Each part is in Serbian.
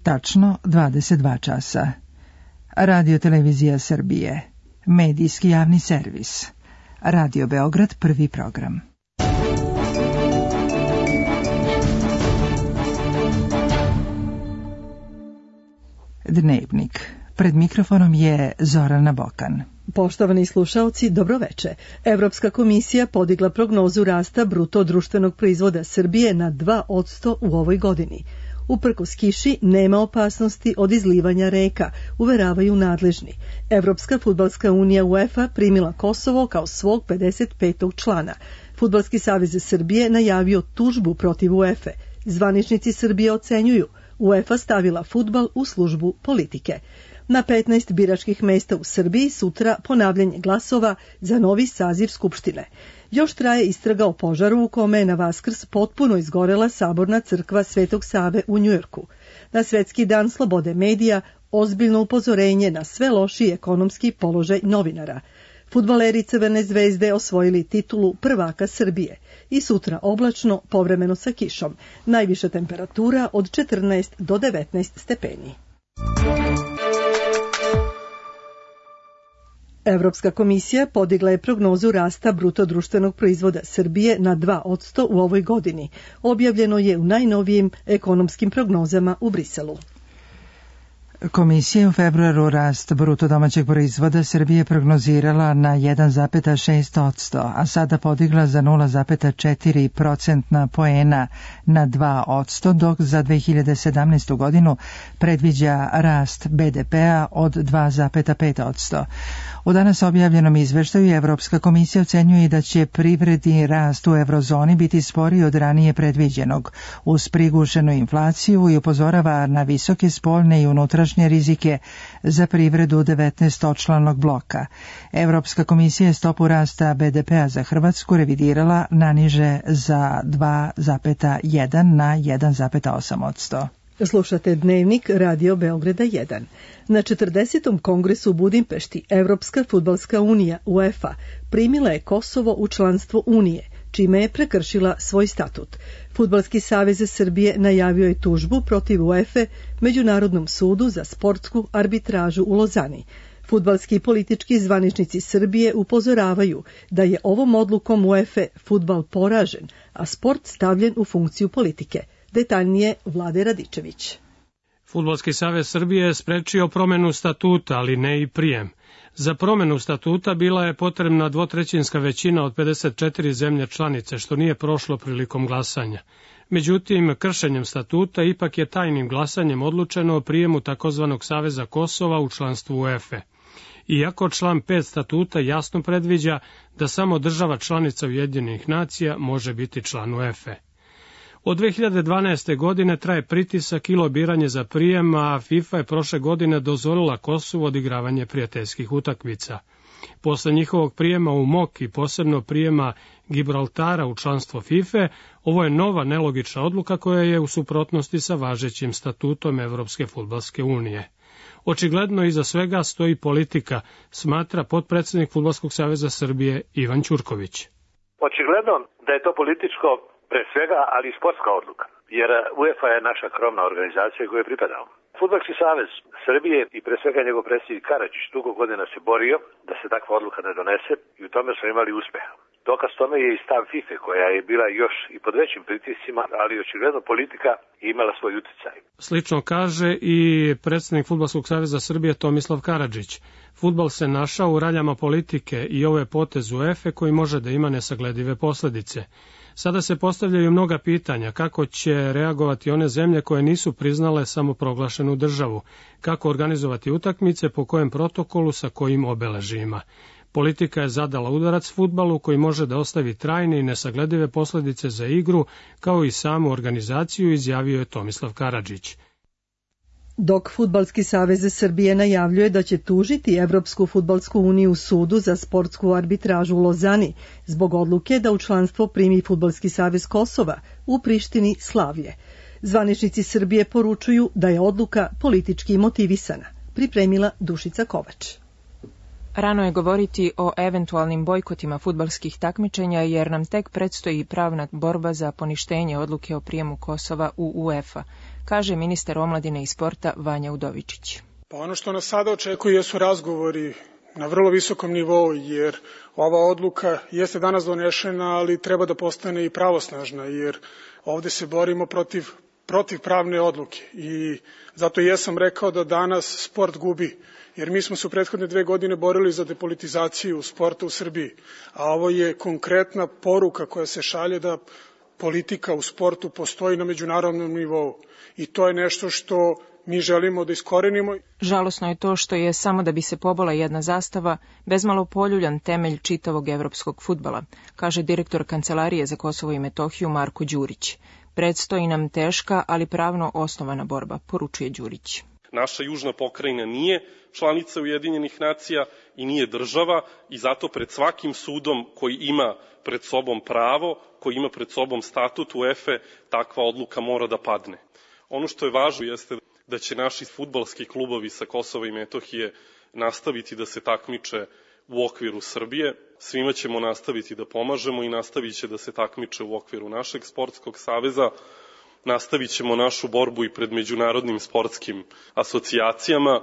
Tačno 22 časa. Radio Televizija Srbije. Medijski javni servis. Radio Beograd, prvi program. Dnevnik. Pred mikrofonom je Zorana Bokan. Poštovani slušaoci, dobroveče. Evropska komisija podigla prognozu rasta bruto društvenog proizvoda Srbije na 2% u ovoj godini. Uprkos kiši nema opasnosti od izlivanja reka, uveravaju nadležni. Evropska fudbalska unija UEFA primila Kosovo kao svog 55. člana. Fudbalski savez Srbije najavio tužbu protiv UEFA. Zvaničnici Srbije ocenjuju UEFA stavila fudbal u službu politike. Na 15 biračkih mesta u Srbiji sutra ponavljanje glasova za novi saziv Skupštine. Još traje istraga o požaru u kome je na Vaskrs potpuno izgorela saborna crkva Svetog Save u Njujorku. Na Svetski dan slobode medija ozbiljno upozorenje na sve lošiji ekonomski položaj novinara. Fudbaleri Crvene zvezde osvojili titulu prvaka Srbije i sutra oblačno, povremeno sa kišom. Najviša temperatura od 14 do 19 stepeni. Evropska komisija podigla je prognozu rasta bruto društvenog proizvoda Srbije na 2% u ovoj godini. Objavljeno je u najnovijim ekonomskim prognozama u Briselu. Komisija u februaru rast bruto domaćeg proizvoda Srbije prognozirala na 1,6%, a sada podigla za 0,4% poena na 2%, dok za 2017. godinu predviđa rast BDP-a od 2,5%. U danas objavljenom izveštaju Evropska komisija ocenjuje da će privredni rast u eurozoni biti sporiji od ranije predviđenog, uz prigušenu inflaciju i upozorava na visoke spoljne i unutrašnje rizike za privredu 19-članog bloka. Evropska komisija je stopu rasta BDP-a za Hrvatsku revidirala naniže za 2,1 na 1,8%. Slušate Dnevnik Radio Beograda 1. Na 40. kongresu u Budimpešti Evropska fudbalska unija UEFA primila je Kosovo u članstvo Unije, čime je prekršila svoj statut. Fudbalski savez Srbije najavio je tužbu protiv UEFA Međunarodnom sudu za sportsku arbitražu u Lozani. Fudbalski i politički zvaničnici Srbije upozoravaju da je ovom odlukom UEFA fudbal poražen, a sport stavljen u funkciju politike. Detaljnije Vlade Radičević. Fudbalski savez Srbije je sprečio promenu statuta, ali ne i prijem. Za promenu statuta bila je potrebna dvotrećinska većina od 54 zemlje članice, što nije prošlo prilikom glasanja. Međutim, kršenjem statuta ipak je tajnim glasanjem odlučeno o prijemu takozvanog Saveza Kosova u članstvu UEFA. Iako član 5 statuta jasno predviđa da samo država članica Ujedinjenih nacija može biti član UEFA. Od 2012. godine traje pritisak i lobiranje za prijem, a FIFA je prošle godine dozvolila Kosovu odigravanje prijateljskih utakmica. Posle njihovog prijema u MOK i posebno prijema Gibraltara u članstvo FIFA, ovo je nova nelogična odluka koja je u suprotnosti sa važećim statutom Evropske fudbalske unije. Očigledno iza svega stoji politika, smatra potpredsednik Fudbalskog saveza Srbije Ivan Ćurković. Očigledno da je to političko pre svega, ali i sportska odluka, jer UEFA je naša krovna organizacija koju je pripadao. Fudbalski savez Srbije i pre svega njegov predsjednik Karadžić dugo godina se borio da se takva odluka ne donese i u tome smo imali uspeha. Dokaz tome je i stav FIFA koja je bila još i pod većim pritiscima, ali očigledno politika je imala svoj uticaj. Slično kaže i predsjednik Fudbalskog saveza Srbije Tomislav Karadžić. Fudbal se našao u raljama politike i ovo je potez UEFA koji može da ima nesagledive posledice. Sada se postavljaju mnoga pitanja kako će reagovati one zemlje koje nisu priznale samoproglašenu državu, kako organizovati utakmice, po kojem protokolu, sa kojim obeležima. Politika je zadala udarac fudbalu koji može da ostavi trajne i nesagledive posledice za igru, kao i samu organizaciju, izjavio je Tomislav Karadžić. Dok Fudbalski savez Srbije najavljuje da će tužiti Evropsku fudbalsku uniju u sudu za sportsku arbitražu u Lozani zbog odluke da u članstvo primi Fudbalski savez Kosova, u Prištini Slavije. Zvaničnici Srbije poručuju da je odluka politički motivisana, pripremila Dušica Kovač. Rano je govoriti o eventualnim bojkotima fudbalskih takmičenja jer nam tek predstoji pravna borba za poništenje odluke o prijemu Kosova u UEFA. kaže ministar omladine i sporta Vanja Udovičić. Pa ono što nas sada očekuje jesu razgovori na vrlo visokom nivou, jer ova odluka jeste danas donešena, ali treba da postane i pravosnažna, jer ovde se borimo protiv pravne odluke i zato jesam rekao da danas sport gubi, jer mi smo se u prethodne 2 godine borili za depolitizaciju sporta u Srbiji, a ovo je konkretna poruka koja se šalje da politika u sportu postoji na međunarodnom nivou i to je nešto što mi želimo da iskorenimo. Žalosno je to što je samo da bi se pobola jedna zastava bezmalo poljuljan temelj čitavog evropskog fudbala, kaže direktor Kancelarije za Kosovo i Metohiju Marko Đurić. Predstoji nam teška, ali pravno osnovana borba, poručuje Đurić. Naša južna pokrajina nije članica Ujedinjenih nacija i nije država i zato pred svakim sudom koji ima pred sobom pravo, koji ima pred sobom statut UEFA, takva odluka mora da padne. Ono što je važno jeste da će naši fudbalski klubovi sa Kosova i Metohije nastaviti da se takmiče u okviru Srbije. Svima ćemo nastaviti da pomažemo i nastavit će da se takmiče u okviru našeg sportskog saveza. Nastavit ćemo našu borbu i pred međunarodnim sportskim asocijacijama.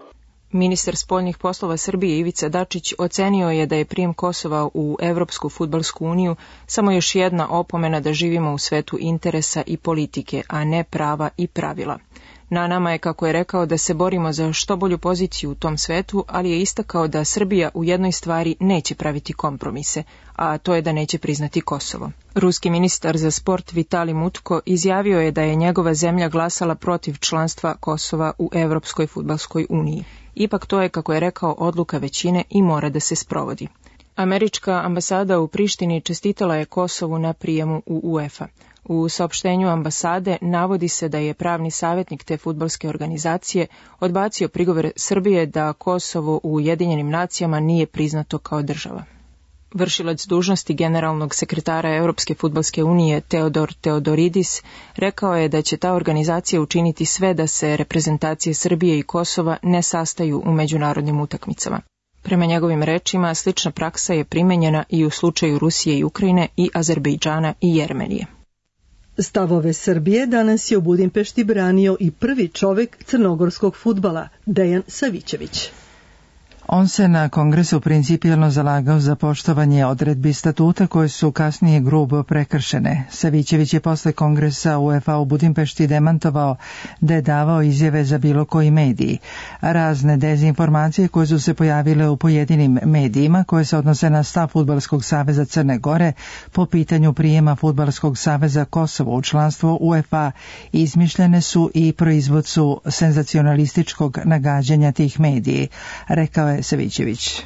Ministar spoljnih poslova Srbije Ivica Dačić ocenio je da je prijem Kosova u Evropsku fudbalsku uniju samo još jedna opomena da živimo u svetu interesa i politike, a ne prava i pravila. Na nama je, kako je rekao, da se borimo za što bolju poziciju u tom svetu, ali je istakao da Srbija u jednoj stvari neće praviti kompromise, a to je da neće priznati Kosovo. Ruski ministar za sport Vitali Mutko izjavio je da je njegova zemlja glasala protiv članstva Kosova u Evropskoj fudbalskoj uniji. Ipak to je, kako je rekao, odluka većine i mora da se sprovodi. Američka ambasada u Prištini čestitala je Kosovu na prijemu u UEFA. U saopštenju ambasade navodi se da je pravni savjetnik te fudbalske organizacije odbacio prigovor Srbije da Kosovo u Ujedinjenim nacijama nije priznato kao država. Vršilac dužnosti generalnog sekretara Europske fudbalske unije Teodor Teodoridis rekao je da će ta organizacija učiniti sve da se reprezentacije Srbije i Kosova ne sastaju u međunarodnim utakmicama. Prema njegovim rečima, slična praksa je primenjena i u slučaju Rusije i Ukrajine i Azerbejdžana i Jermenije. Stavove Srbije danas je u Budimpešti branio i prvi čovek crnogorskog fudbala, Dejan Savićević. On se na kongresu principijelno zalagao za poštovanje odredbi statuta koje su kasnije grubo prekršene. Savićević je posle kongresa UEFA u Budimpešti demantovao da je davao izjave za bilo koji mediji. Razne dezinformacije koje su se pojavile u pojedinim medijima koje se odnose na stav Fudbalskog saveza Crne Gore po pitanju prijema Fudbalskog saveza Kosovo u članstvo UEFA izmišljene su i proizvod su senzacionalističkog nagađanja tih mediji, rekao je Savićević.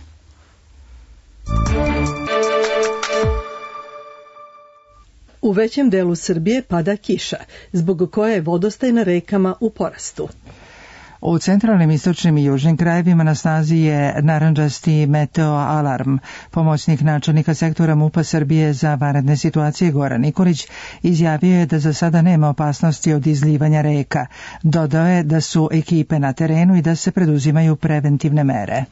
U većem delu Srbije pada kiša, zbog koje je vodostaj na rekama u porastu. U centralnim, istočnim i južnim krajevima na snazi je narandžasti meteo alarm. Pomoćnik načelnika sektora MUP-a Srbije za vanredne situacije Goran Nikolić izjavio je da za sada nema opasnosti od izlivanja reka. Dodao je da su ekipe na terenu i da se preduzimaju preventivne mere.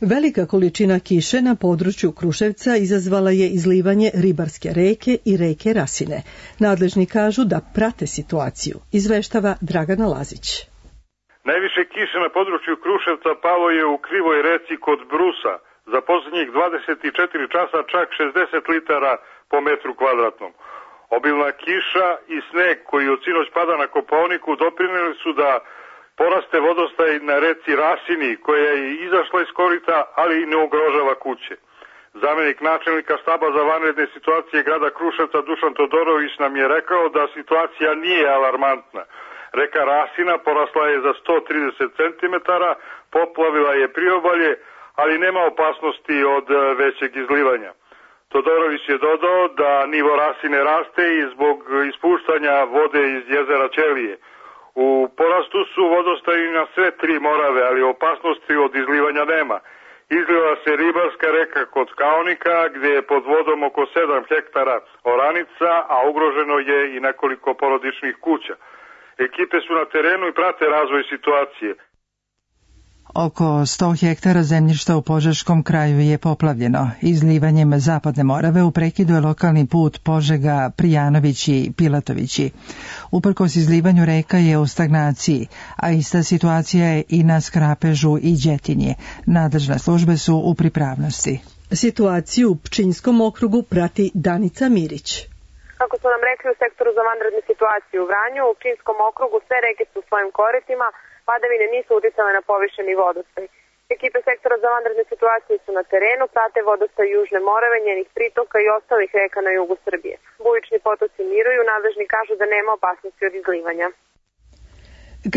Velika količina kiše na području Kruševca izazvala je izlivanje ribarske reke i reke Rasine. Nadležni kažu da prate situaciju, izveštava Dragana Lazić. Najviše kiše na području Kruševca palo je u Krivoj reci kod Brusa. Za posljednjih 24 časa čak 60 litara po metru kvadratnom. Obilna kiša i sneg koji od sinoć pada na Kopaoniku doprineli su da poraste vodostaj na reci Rasini, koja je izašla iz korita, ali ne ugrožava kuće. Zamenik načelnika štaba za vanredne situacije grada Kruševca Dušan Todorović nam je rekao da situacija nije alarmantna. Reka Rasina porasla je za 130 cm, poplavila je priobalje, ali nema opasnosti od većeg izlivanja. Todorović je dodao da nivo Rasine raste i zbog ispuštanja vode iz jezera Ćelije. U porastu su vodostaji na sve 3 Morave, ali opasnosti od izlivanja nema. Izliva se ribarska reka kod Kaonika, gdje je pod vodom oko 7 hektara oranica, a ugroženo je i nekoliko porodičnih kuća. Ekipe su na terenu i prate razvoj situacije. Oko 100 hektara zemljišta u Požeškom kraju je poplavljeno. Izlivanjem Zapadne Morave u prekidu je lokalni put Požega, Prijanovići, Pilatovići. Uprkos izlivanju reka je u stagnaciji, a ista situacija je i na Skrapežu i Đetinje. Nadležne službe su u pripravnosti. Situaciju u Pčinjskom okrugu prati Danica Mirić. Kako su nam rekli u sektoru za vanredne situacije u Vranju, u Pčinjskom okrugu sve reke su u svojim koritima, padavine nisu uticale na povišeni vodostaj. Ekipe sektora za vanredne situacije su na terenu, prate vodostaj Južne Morave, njenih pritoka i ostalih reka na jugu Srbije. Bujični potoci miruju, nadležni kažu da nema opasnosti od izlivanja.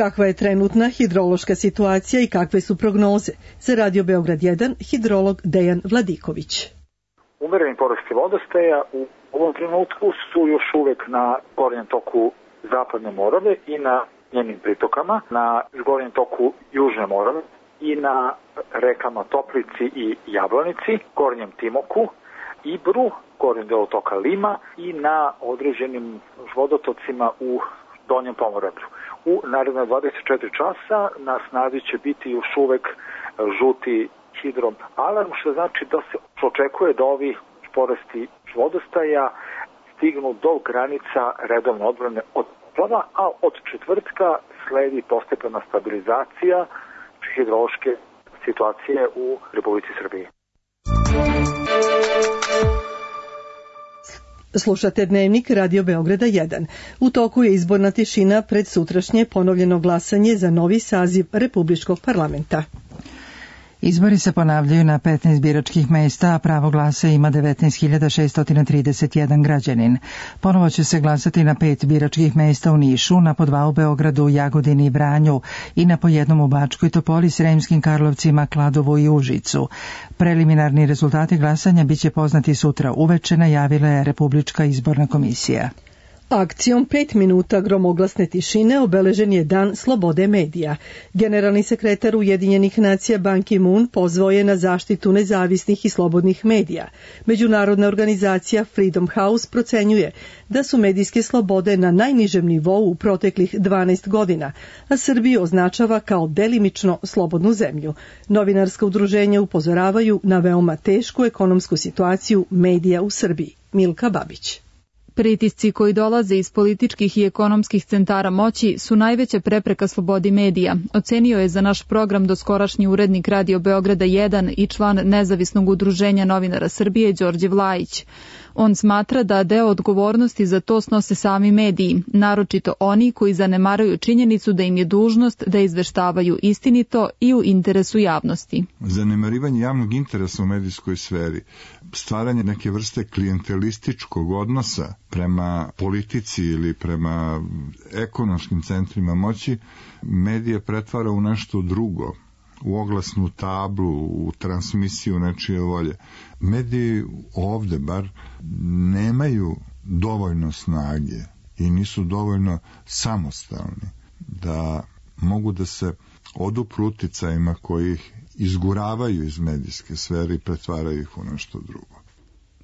Kakva je trenutna hidrološka situacija i kakve su prognoze? Za Radio Beograd 1, hidrolog Dejan Vladiković. Umereni porasti vodostaja u ovom trenutku su još uvek na gornjem toku Zapadne Morave i na njenim pritokama, na gornjem toku Južne Morave i na rekama Toplici i Jablanici, gornjem Timoku, Ibru, gornjem delu toka Lima i na određenim vodotocima u Donjem Pomoravlju. U naredne 24 časa na snazi će biti još uvek žuti hidroalarm, što znači da se očekuje da ovi porasti vodostaja stignu do granica redovne odbrane od poplava, a od četvrtka sledi postepena stabilizacija hidrološke situacije u Republici Srbiji. Slušate Dnevnik Radio Beograda 1. U toku je izborna tišina pred sutrašnje ponovljeno glasanje za novi saziv Republičkog parlamenta. Izbori se ponavljaju na 15 biračkih mesta, a pravo glasa ima 19.631 građanin. Ponovo će se glasati na 5 biračkih mesta u Nišu, na po 2 u Beogradu, Jagodini i Vranju i na po 1 u Bačkoj Topoli, Sremskim Karlovcima, Kladovu i Užicu. Preliminarni rezultati glasanja biće poznati sutra uveče, najavila je Republička izborna komisija. Akcijom 5 minuta gromoglasne tišine obeležen je Dan slobode medija. Generalni sekretar Ujedinjenih nacija Ban Ki-moon pozvao je na zaštitu nezavisnih i slobodnih medija. Međunarodna organizacija Freedom House procenjuje da su medijske slobode na najnižem nivou u proteklih 12 godina, a Srbiju označava kao delimično slobodnu zemlju. Novinarska udruženja upozoravaju na veoma tešku ekonomsku situaciju medija u Srbiji. Milka Babić. Pritisci koji dolaze iz političkih i ekonomskih centara moći su najveća prepreka slobodi medija, ocenio je za naš program doskorašnji urednik Radio Beograda 1 i član Nezavisnog udruženja novinara Srbije Đorđe Vlajić. On smatra da deo odgovornosti za to snose sami mediji, naročito oni koji zanemaruju činjenicu da im je dužnost da izveštavaju istinito i u interesu javnosti. Zanemarivanje javnog interesa u medijskoj sferi, stvaranje neke vrste klijentelističkog odnosa prema politici ili prema ekonomskim centrima moći, medije pretvara u nešto drugo, u oglasnu tablu, u transmisiju nečije volje. Mediji ovde bar nemaju dovoljno snage i nisu dovoljno samostalni da mogu da se odupru uticajima koji ih izguravaju iz medijske sfere i pretvaraju ih u nešto drugo.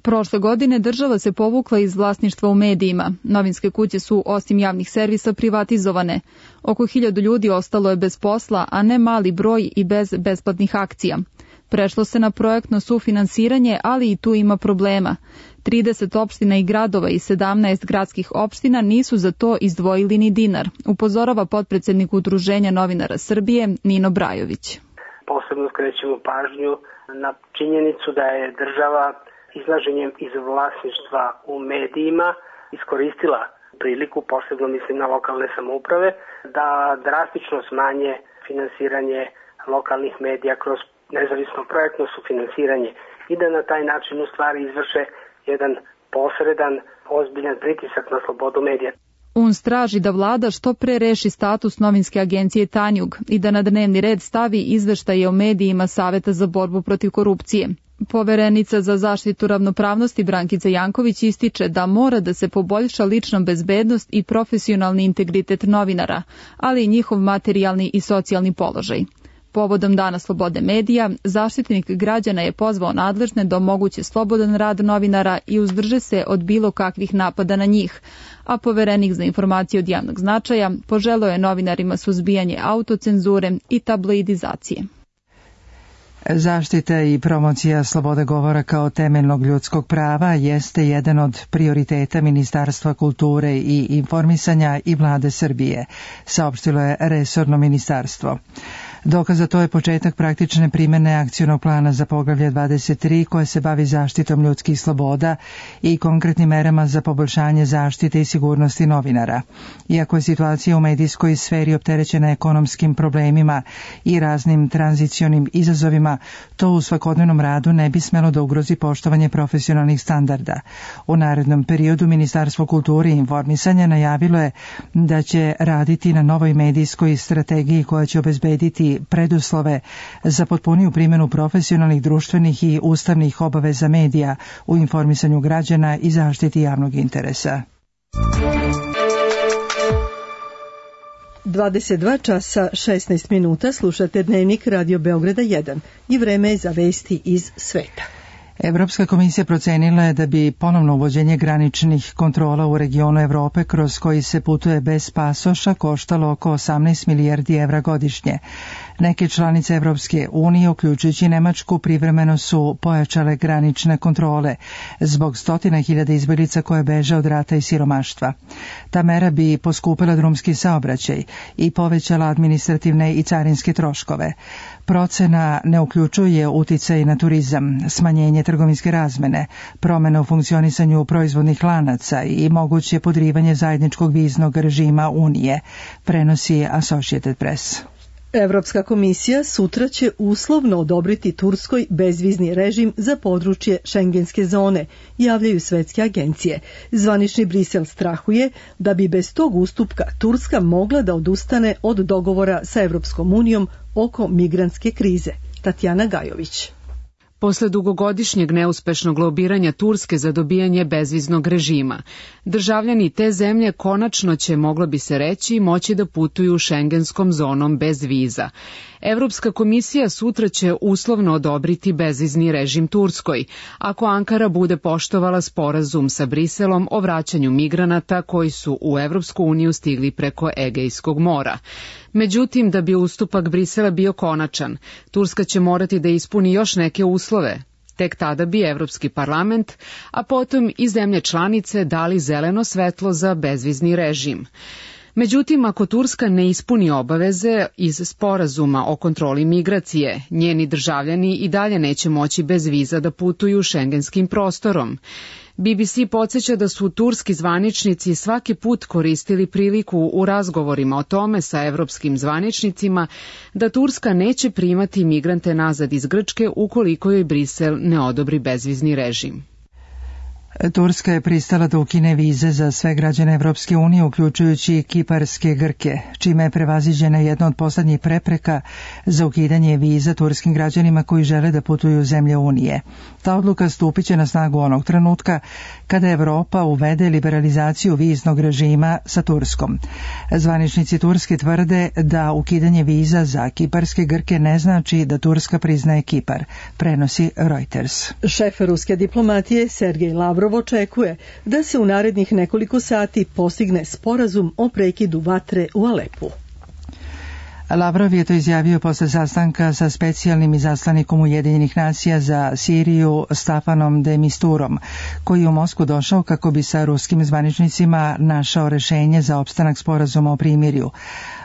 Prošle godine država se povukla iz vlasništva u medijima. Novinske kuće su, osim javnih servisa, privatizovane. Oko 1000 ljudi ostalo je bez posla, a ne mali broj i bez besplatnih akcija. Prešlo se na projektno sufinansiranje, ali i tu ima problema. 30 opština i gradova i 17 gradskih opština nisu za to izdvojili ni dinar, upozorava potpredsednik Udruženja novinara Srbije Nino Brajović. Posebno skrećemo pažnju na činjenicu da je država izlaženjem iz vlasništva u medijima iskoristila priliku, posebno mislim na lokalne samouprave, da drastično smanje finansiranje lokalnih medija kroz nezavisno projektno sufinansiranje i da na taj način u stvari izvrše jedan posredan, ozbiljan pritisak na slobodu medija. UNS traži da vlada što pre reši status novinske agencije Tanjug i da na dnevni red stavi izveštaje o medijima Saveta za borbu protiv korupcije. Poverenica za zaštitu ravnopravnosti Brankica Janković ističe da mora da se poboljša lična bezbednost i profesionalni integritet novinara, ali i njihov materijalni i socijalni položaj. Povodom Dana slobode medija, Zaštitnik građana je pozvao nadležne da omoguće slobodan rad novinara i uzdrže se od bilo kakvih napada na njih, a Poverenik za informacije od javnog značaja poželeo je novinarima suzbijanje autocenzure i tabloidizacije. Zaštita i promocija slobode govora kao temeljnog ljudskog prava jeste jedan od prioriteta Ministarstva kulture i informisanja i Vlade Srbije, saopštilo je resorno ministarstvo. Dokaz za to je početak praktične primjene akcionog plana za poglavlje 23 koje se bavi zaštitom ljudskih sloboda i konkretnim merama za poboljšanje zaštite i sigurnosti novinara. Iako je situacija u medijskoj sferi opterećena ekonomskim problemima i raznim tranzicionim izazovima, to u svakodnevnom radu ne bi smelo da ugrozi poštovanje profesionalnih standarda. U narednom periodu Ministarstvo kulture i informisanja najavilo je da će raditi na novoj medijskoj strategiji koja će obezbediti preduslove za potpuniju primjenu profesionalnih, društvenih i ustavnih obaveza medija u informisanju građana i zaštiti javnog interesa. 22 časa 16 minuta slušate Dnevnik Radio Beograda 1 i vreme je za vesti iz sveta. Evropska komisija procenila je da bi ponovno uvođenje graničnih kontrola u regionu Evrope kroz koji se putuje bez pasoša koštalo oko 18 milijardi evra godišnje. Neke članice Evropske unije, uključujući Nemačku, privremeno su pojačale granične kontrole zbog 100.000 izbjeglica koje beže od rata i siromaštva. Ta mera bi poskupila drumski saobraćaj i povećala administrativne i carinske troškove. Procena ne uključuje uticaj na turizam, smanjenje trgovinske razmene, promjene u funkcionisanju proizvodnih lanaca i moguće podrivanje zajedničkog viznog režima Unije, prenosi Associated Press. Evropska komisija sutra će uslovno odobriti Turskoj bezvizni režim za područje šengenske zone, javljaju svetske agencije. Zvanični Brisel strahuje da bi bez tog ustupka Turska mogla da odustane od dogovora sa Evropskom unijom oko migrantske krize. Tatjana Gajović. Posle dugogodišnjeg neuspešnog lobiranja Turske za dobijanje bezviznog režima, državljani te zemlje konačno će, moglo bi se reći, moći da putuju šengenskom zonom bez viza. Evropska komisija sutra će uslovno odobriti bezvizni režim Turskoj, ako Ankara bude poštovala sporazum sa Briselom o vraćanju migranata koji su u Evropsku uniju stigli preko Egejskog mora. Međutim, da bi ustupak Brisela bio konačan, Turska će morati da ispuni još neke uslove. Tek tada bi Evropski parlament, a potom i zemlje članice dali zeleno svetlo za bezvizni režim. Međutim, ako Turska ne ispuni obaveze iz sporazuma o kontroli migracije, njeni državljani i dalje neće moći bez viza da putuju šengenskim prostorom. BBC podsjeća da su turski zvaničnici svaki put koristili priliku u razgovorima o tome sa evropskim zvaničnicima da Turska neće primati migrante nazad iz Grčke ukoliko joj Brisel ne odobri bezvizni režim. Turska je pristala da ukine vize za sve građane Evropske unije, uključujući kiparske Grke, čime je prevaziđena jedna od poslednjih prepreka za ukidanje viza turskim građanima koji žele da putuju u zemlje Unije. Ta odluka stupit će na snagu onog trenutka kada Evropa uvede liberalizaciju viznog režima sa Turskom. Zvaničnici Turske tvrde da ukidanje viza za kiparske Grke ne znači da Turska priznaje Kipar, prenosi Reuters. Šef ruske diplomatije Sergej Lavrov očekuje da se u narednih nekoliko sati postigne sporazum o prekidu vatre u Alepu. Lavrov je to izjavio posle sastanka sa specijalnim izaslanikom Ujedinjenih nacija za Siriju Stafanom de Misturom, koji je u Moskvu došao kako bi sa ruskim zvaničnicima našao rešenje za opstanak sporazuma o primirju.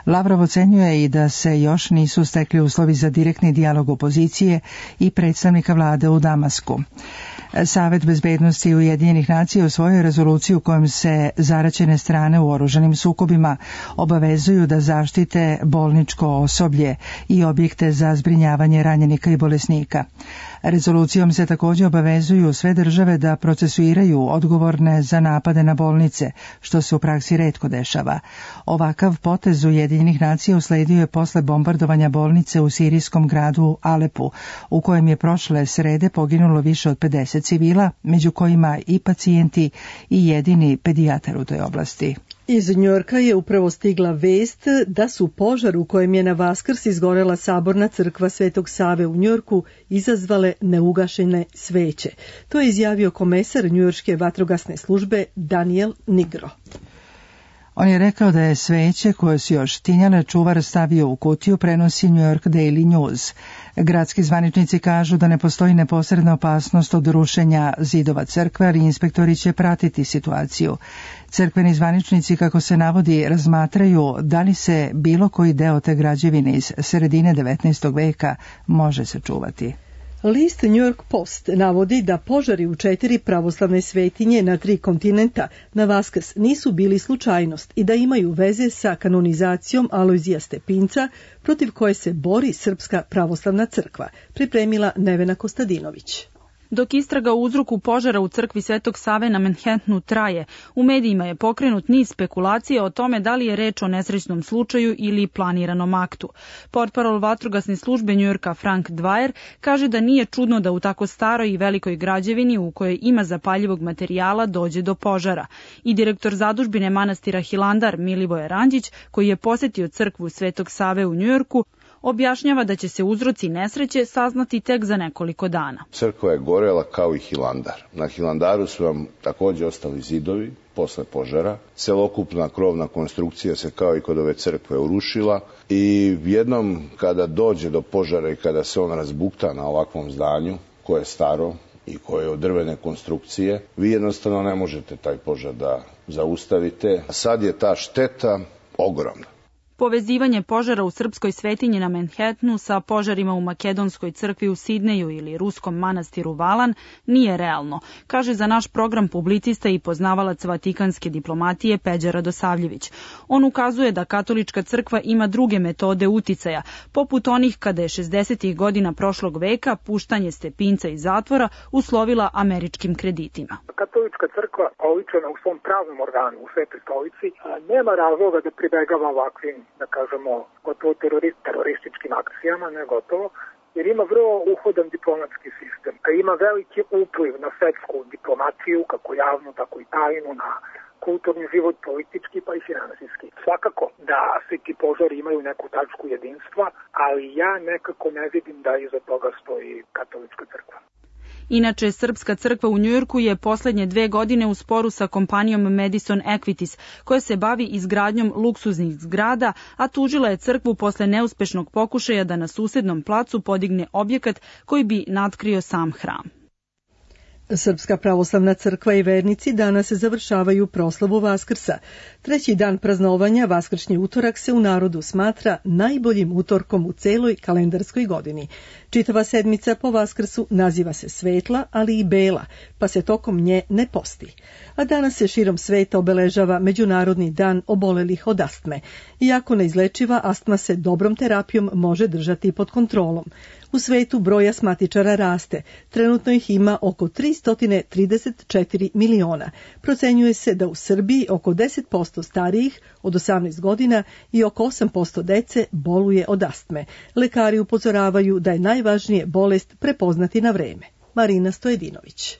Lavrov ocenjuje i da se još nisu stekli uslovi za direktni dijalog opozicije i predstavnika vlade u Damasku. Savet bezbednosti Ujedinjenih nacija usvojio rezoluciju kojom se zaraćene strane u oružanim sukobima obavezuju da zaštite bolničko osoblje i objekte za zbrinjavanje ranjenika i bolesnika. Rezolucijom se također obavezuju sve države da procesuiraju odgovorne za napade na bolnice, što se u praksi retko dešava. Ovakav potez Ujedinjenih nacija usledio je posle bombardovanja bolnice u sirijskom gradu Alepu, u kojem je prošle srede poginulo više od 50 civila, među kojima i pacijenti i jedini pedijatar u toj oblasti. Iz Njujorka je upravo stigla vest da su požar u kojem je na Vaskrs izgorela saborna crkva Svetog Save u Njujorku izazvale neugašene sveće. To je izjavio komesar njujorške vatrogasne službe Daniel Nigro. On je rekao da je sveće koje su još tinjale čuvar stavio u kutiju, prenosi New York Daily News. Gradski zvaničnici kažu da ne postoji neposredna opasnost od rušenja zidova crkve, ali inspektori će pratiti situaciju. Crkveni zvaničnici, kako se navodi, razmatraju da li se bilo koji deo te građevine iz sredine 19. veka može sačuvati. List New York Post navodi da požari u 4 pravoslavne svetinje na 3 kontinenta na Vaskrs nisu bili slučajnost i da imaju veze sa kanonizacijom Alojzija Stepinca, protiv koje se bori Srpska pravoslavna crkva, pripremila Nevena Kostadinović. Dok istraga o uzroku požara u crkvi Svetog Save na Manhattanu traje, u medijima je pokrenut niz spekulacija o tome da li je reč o nesrećnom slučaju ili planiranom aktu. Portparol vatrogasne službe Njujorka Frank Dwyer kaže da nije čudno da u tako staroj i velikoj građevini u kojoj ima zapaljivog materijala dođe do požara. I direktor zadužbine manastira Hilandar Milivoje Ranđić, koji je posetio crkvu Svetog Save u Njujorku, objašnjava da će se uzroci nesreće saznati tek za nekoliko dana. Crkva je gorela kao i Hilandar. Na Hilandaru su vam također ostali zidovi posle požara. Celokupna krovna konstrukcija se kao i kod ove crkve urušila i jednom kada dođe do požara i kada se on razbukta na ovakvom zdanju koje je staro i koje je od drvene konstrukcije, vi jednostavno ne možete taj požar da zaustavite. Sad je ta šteta ogromna. Povezivanje požara u srpskoj svetinji na Manhattanu sa požarima u makedonskoj crkvi u Sidneju ili ruskom manastiru Valan nije realno, kaže za naš program publicista i poznavalac vatikanske diplomatije Peđa Radosavljević. On ukazuje da katolička crkva ima druge metode uticaja, poput onih kada je 60. godina prošlog veka puštanje Stepinca iz zatvora uslovila američkim kreditima. Katolička crkva, oličena u svom pravnom organu, u Svetoj stolici, nema razloga da pribegava ovakvim, da kažemo, gotovo terorističkim akcijama, ne gotovo, jer ima vrlo uhodan diplomatski sistem. Ima veliki upliv na svetsku diplomaciju, kako javnu, tako i tajnu, na kulturni život, politički pa i finansijski. Svakako da svi ti požari imaju neku tačku jedinstva, ali ja nekako ne vidim da iza toga stoji katolička crkva. Inače, Srpska crkva u Njujorku je poslednje 2 godine u sporu sa kompanijom Madison Equities, koja se bavi izgradnjom luksuznih zgrada, a tužila je crkvu posle neuspešnog pokušaja da na susednom placu podigne objekat koji bi natkrio sam hram. Srpska pravoslavna crkva i vernici danas završavaju proslavu Vaskrsa. 3. dan praznovanja, vaskršnji utorak, se u narodu smatra najboljim utorkom u celoj kalendarskoj godini. Čitava sedmica po Vaskrsu naziva se svetla, ali i bela, pa se tokom nje ne posti. A danas se širom sveta obeležava Međunarodni dan obolelih od astme. Iako neizlečiva, astma se dobrom terapijom može držati pod kontrolom. U svetu broj astmatičara raste. Trenutno ih ima oko 334 miliona. Procenjuje se da u Srbiji oko 10% starijih od 18 godina i oko 8% dece boluje od astme. Lekari upozoravaju da je najvažnije bolest prepoznati na vreme. Marina Stojedinović.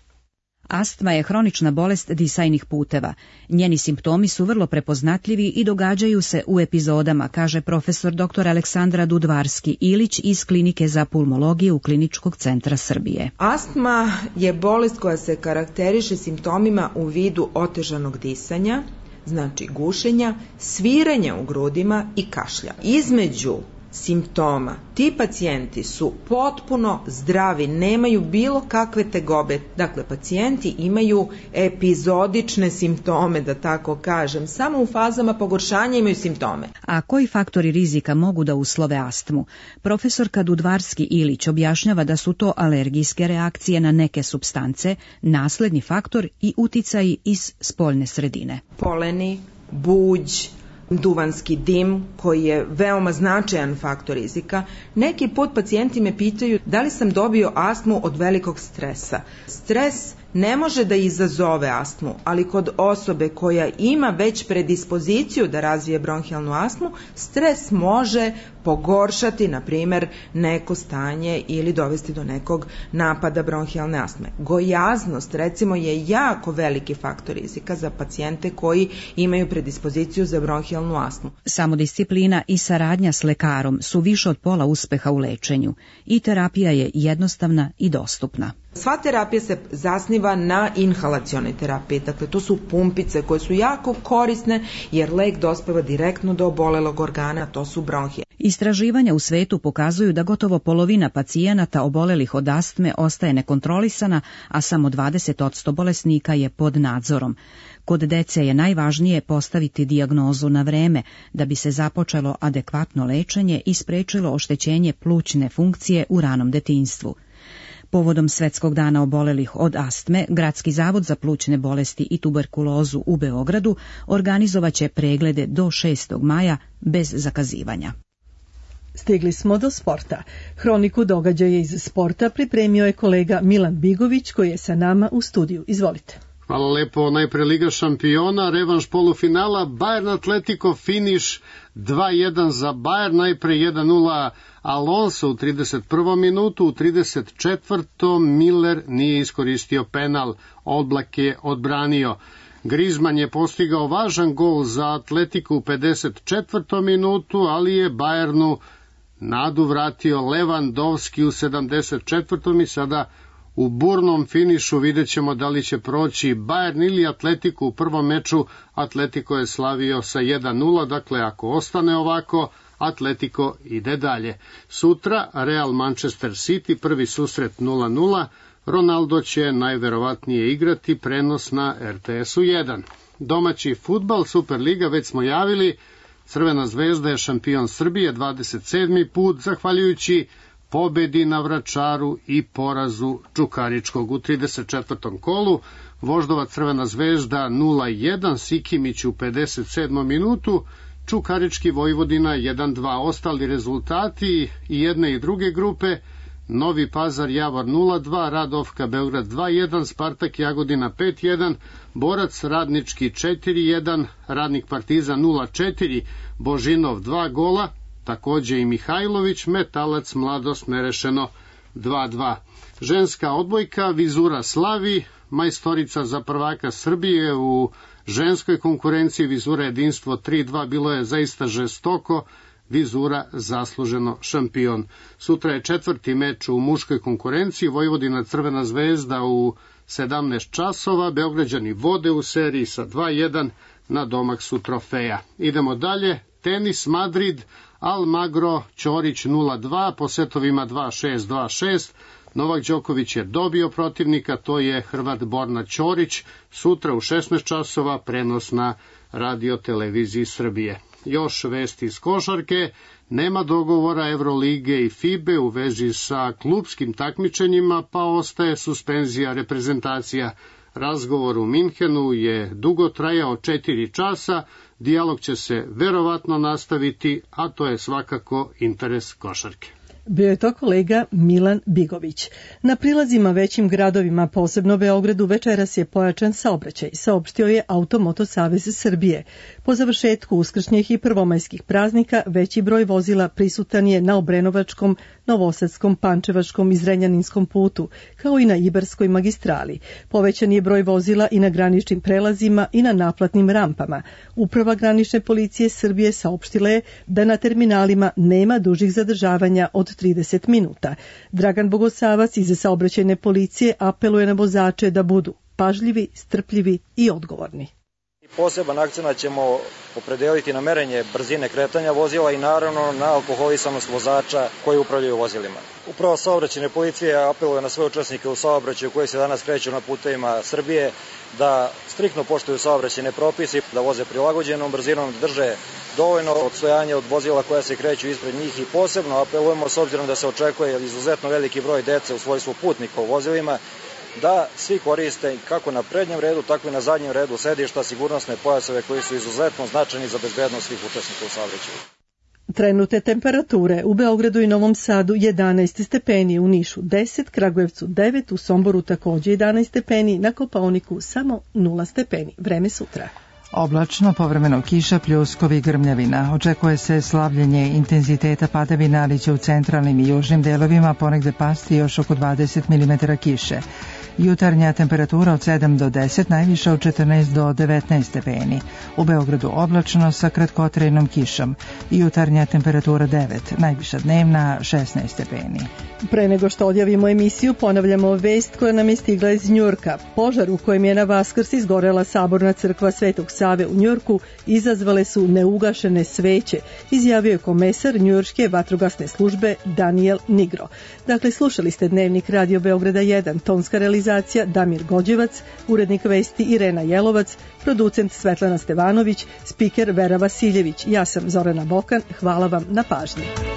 Astma je hronična bolest disajnih puteva. Njeni simptomi su vrlo prepoznatljivi i događaju se u epizodama, kaže profesor dr. Aleksandra Dudvarski-Ilić iz Klinike za pulmologiju Kliničkog centra Srbije. Astma je bolest koja se karakteriše simptomima u vidu otežanog disanja, znači gušenja, sviranja u grudima i kašlja. Između simptoma ti pacijenti su potpuno zdravi, nemaju bilo kakve tegobe. Dakle, pacijenti imaju epizodične simptome, da tako kažem, samo u fazama pogoršanja imaju simptome. A koji faktori rizika mogu da uslove astmu? Profesorka Dudvarski-Ilić objašnjava da su to alergijske reakcije na neke supstance, nasledni faktor i uticaji iz spoljne sredine. Poleni, buđ, duvanski dim, koji je veoma značajan faktor rizika. Neki put pacijenti me pitaju da li sam dobio astmu od velikog stresa. Stres ne može da izazove astmu, ali kod osobe koja ima već predispoziciju da razvije bronhijalnu astmu, stres može pogoršati, na primjer, neko stanje ili dovesti do nekog napada bronhijalne astme. Gojaznost, recimo, je jako veliki faktor rizika za pacijente koji imaju predispoziciju za bronhijalnu astmu. Samodisciplina i saradnja s lekarom su više od pola uspeha u lečenju i terapija je jednostavna i dostupna. Sva terapija se zasniva na inhalacionoj terapiji, dakle to su pumpice koje su jako korisne jer lek dospeva direktno do obolelog organa, to su bronhije. Istraživanja u svetu pokazuju da gotovo polovina pacijenata obolelih od astme ostaje nekontrolisana, a samo 20% bolesnika je pod nadzorom. Kod dece je najvažnije postaviti dijagnozu na vreme da bi se započelo adekvatno lečenje i sprečilo oštećenje plućne funkcije u ranom detinjstvu. Povodom Svetskog dana obolelih od astme, Gradski zavod za plućne bolesti i tuberkulozu u Beogradu organizovaće preglede do 6. maja bez zakazivanja. Stigli smo do sporta. Hroniku događaja iz sporta pripremio je kolega Milan Bigović koji je sa nama u studiju. Izvolite. Hvala lepo. Najpre Liga šampiona, revanš polufinala, Bayern Atletico finiš 2-1 za Bayern, najpre 1-0 Alonso u 31. minutu, u 34. Miller nije iskoristio penal, Oblak je odbranio. Griezmann je postigao važan gol za Atletico u 54. minutu, ali je Bayernu nadu vratio Lewandowski u 74. i sada u burnom finišu vidjet ćemo da li će proći Bayern ili Atletico. U prvom meču Atletico je slavio sa 1-0, dakle ako ostane ovako, Atletico ide dalje. Sutra Real Manchester City, prvi susret 0-0, Ronaldo će najverovatnije igrati, prenos na RTS-u 1. Domaći fudbal, Superliga, već smo javili, Crvena zvezda je šampion Srbije 27. put, zahvaljujući pobedi na Vračaru i porazu Čukaričkog u 34. kolu. Voždova Crvena zvezda 0-1, Sikimić u 57. minutu, Čukarički Vojvodina 1-2. Ostali rezultati i jedne i druge grupe: Novi Pazar Javor 0-2, Radovka Beograd 2-1, Spartak Jagodina 5-1, Borac Radnički 4-1, Radnik Partizan 0-4, Božinov 2 gola, takođe i Mihajlović, Metalac Mladost nerešeno 2-2. Ženska odbojka, Vizura slavi, majstorica za prvaka Srbije u ženskoj konkurenciji, Vizura jedinstvo 3-2, bilo je zaista žestoko, Vizura zasluženo šampion. Sutra je četvrti meč u muškoj konkurenciji, Vojvodina Crvena zvezda u 17 časova, Beograđani vode u seriji sa 2-1, na domak su trofeja. Idemo dalje, tenis Madrid, Almagro Ćorić 0-2, po setovima 2-6, 2-6, Novak Đoković je dobio protivnika, to je Hrvat Borna Ćorić, sutra u 16 časova, prenos na Radio televiziji Srbije. Još vesti iz košarke, nema dogovora Evrolige i FIBE u vezi sa klupskim takmičenjima, pa ostaje suspenzija reprezentacija. Razgovor u Minhenu je dugo trajao 4 časa, dijalog će se verovatno nastaviti, a to je svakako interes košarke. Bio je to kolega Milan Bigović. Na prilazima većim gradovima, posebno Beogradu, večeras je pojačan saobraćaj, saopštio je Automoto Savez Srbije. Po završetku uskršnjih i prvomajskih praznika, veći broj vozila prisutan je na Obrenovačkom, Novosadskom, Pančevačkom i Zrenjaninskom putu, kao i na Ibarskoj magistrali. Povećan je broj vozila i na graničnim prelazima i na naplatnim rampama. Uprava granične policije Srbije saopštila je da na terminalima nema dužih zadržavanja od 30 minuta. Dragan Bogosavac iz saobraćajne policije apeluje na vozače da budu pažljivi, strpljivi i odgovorni. Poseban akcenat ćemo opredeliti na merenje brzine kretanja vozila i naravno na alkoholisanost vozača koji upravljaju vozilima. Upravo saobraćajne policije apeluje na sve učesnike u saobraćaju koji se danas kreću na putevima Srbije da striktno poštuju saobraćajne propise, da voze prilagođenom brzinom, da drže dovoljno odstojanja od vozila koja se kreću ispred njih i posebno apelujemo, s obzirom da se očekuje izuzetno veliki broj dece u svojstvu putnika u vozilima, da svi koriste kako na prednjem redu, tako i na zadnjem redu sedišta sigurnosne pojaseve koji su izuzetno značajni za bezbednost svih učesnika u saobraćaju. Trenutne temperature u Beogradu i Novom Sadu 11 stepeni, u Nišu 10, Kragujevcu 9, u Somboru takođe 11 stepeni, na Kopaoniku samo 0 stepeni. Vreme sutra. Oblačno, povremeno kiša, pljuskovi i grmljavina. Očekuje se slavljenje intenziteta padavina, ali će u centralnim i južnim delovima ponegde pasti još oko 20 mm kiše. Jutarnja temperatura od 7 do 10, najviša od 14 do 19 stepeni. U Beogradu oblačno sa kratkotrajnom kišom. Jutarnja temperatura 9, najviša dnevna 16 stepeni. Pre nego što odjavimo emisiju, ponavljamo vest koja nam je stigla iz Njujorka. Požar u kojem je na Vaskrs izgorela saborna crkva Svetog Save u Njujorku izazvale su neugašene sveće, izjavio je komesar njujorške vatrogasne službe Daniel Nigro. Dakle, slušali ste Dnevnik Radio Beograda 1, tonska realizacija Damir Gođevac, urednik vesti Irena Jelovac, producent Svetlana Stevanović, spiker Vera Vasiljević. Ja sam Zorana Bokan, hvala vam na pažnji.